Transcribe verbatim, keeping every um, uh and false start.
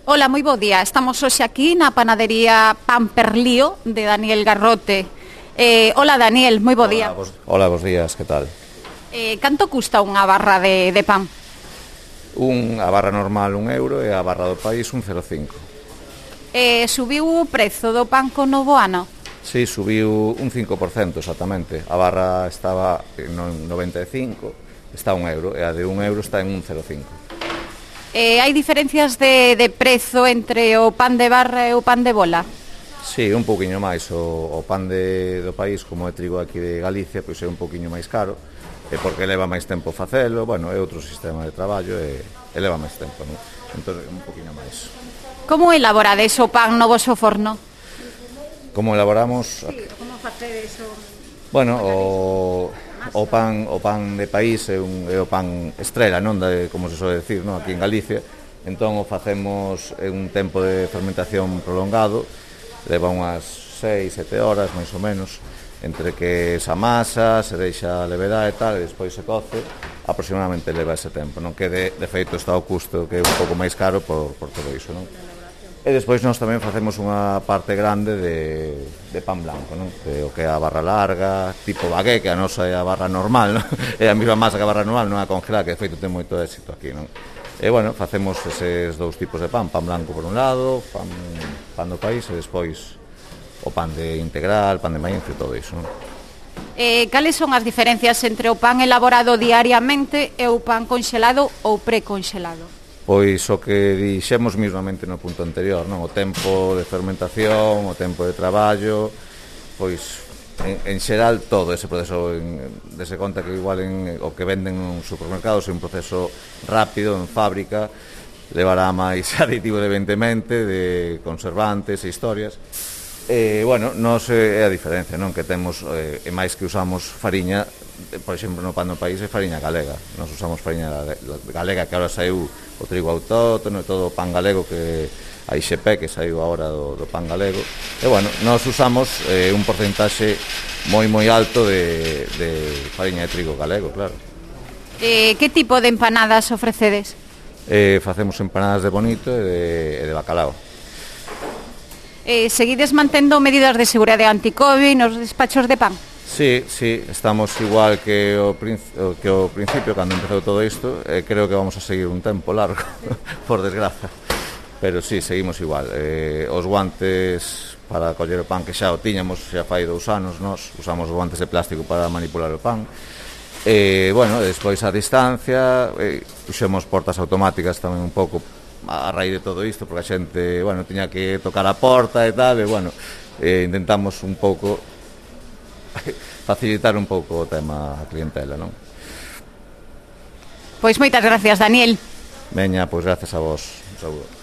Ola, moi bo día. Estamos hoxe aquí na panadería Pan Perlío de Daniel Garrote. Eh, ola, Daniel, moi bo día. Hola, bos, hola, bos días, que tal? Eh, canto custa unha barra de, de pan? Un, a barra normal un euro e a barra do país un cero coma cinco. Eh, subiu o prezo do pan co novo ano? Si, subiu un cinco por cento exactamente. A barra estaba en noventa e cinco, está a un euro, e a de un euro está en un cero coma cinco. Eh, hai diferencias de, de prezo entre o pan de barra e o pan de bola? Si, un pouquiño máis. O, o pan de, do país, como é trigo aquí de Galicia, pois é un pouquiño máis caro, e porque leva máis tempo facelo, bueno, é outro sistema de traballo e, e leva máis tempo, non? Entón, un pouquiño máis. Como elaborades o pan no voso forno? Como elaboramos? Sí, como facedes o... Bueno, o, o pan o pan de país é, un, é o pan estrela, non, de, como se soe decir, non, aquí en Galicia. Entón o facemos en un tempo de fermentación prolongado, leva unhas seis, sete horas máis ou menos, entre que se amasa, se deixa levedar e tal, e despois se coce, aproximadamente leva ese tempo, non, que de, de feito está o custo que é un pouco máis caro por, por todo iso, non? E despois nós tamén facemos unha parte grande de, de pan blanco, non? De, o que é a barra larga, tipo bagué, que a nosa é a barra normal, non? É a mesma masa que a barra normal, non a congelada, que de feito ten moito éxito aquí, non? E, bueno, facemos eses dous tipos de pan, pan blanco por un lado, pan, pan do país, e despois o pan de integral, pan de maíz e todo iso, non? Eh, cales son as diferencias entre o pan elaborado diariamente e o pan conxelado ou preconxelado? Pois o que dixemos mismamente no punto anterior, non? O tempo de fermentación, o tempo de traballo, pois en, en xeral todo ese proceso, en, dese conta que igual en, o que venden nos supermercados é un proceso rápido, en fábrica, levará máis aditivos evidentemente, de conservantes e historias. E, bueno, nos é a diferencia, non? Que temos, eh, e máis que usamos fariña, por exemplo, no pan do país é fariña galega. Nos usamos fariña galega, que agora saiu o trigo autóctono e todo o pan galego, que a I X P, que saiu agora do, do pan galego. E, bueno, nos usamos eh, un porcentaxe moi, moi alto de, de fariña de trigo galego, claro. Eh, que tipo de empanadas ofrecedes? Eh, facemos empanadas de bonito e de, e de bacalao. Eh, seguides mantendo medidas de seguridade anti-Covid nos despachos de pan? Sí, sí, estamos igual que o, que o principio, cando empezou todo isto, e eh, creo que vamos a seguir un tempo largo, por desgraza. Pero sí, seguimos igual. Eh, os guantes para coller o pan, que xa o tiñamos, xa fai dous anos, nós usamos os guantes de plástico para manipular o pan. E, bueno, despois a distancia, eh, puxemos portas automáticas tamén un pouco a raíz de todo isto, porque a xente, bueno, tiña que tocar a porta e tal, e, bueno, eh, intentamos un pouco facilitar un pouco o tema a clientela, non? Pois moitas gracias, Daniel. Veña, pois gracias a vos. Un saúdo.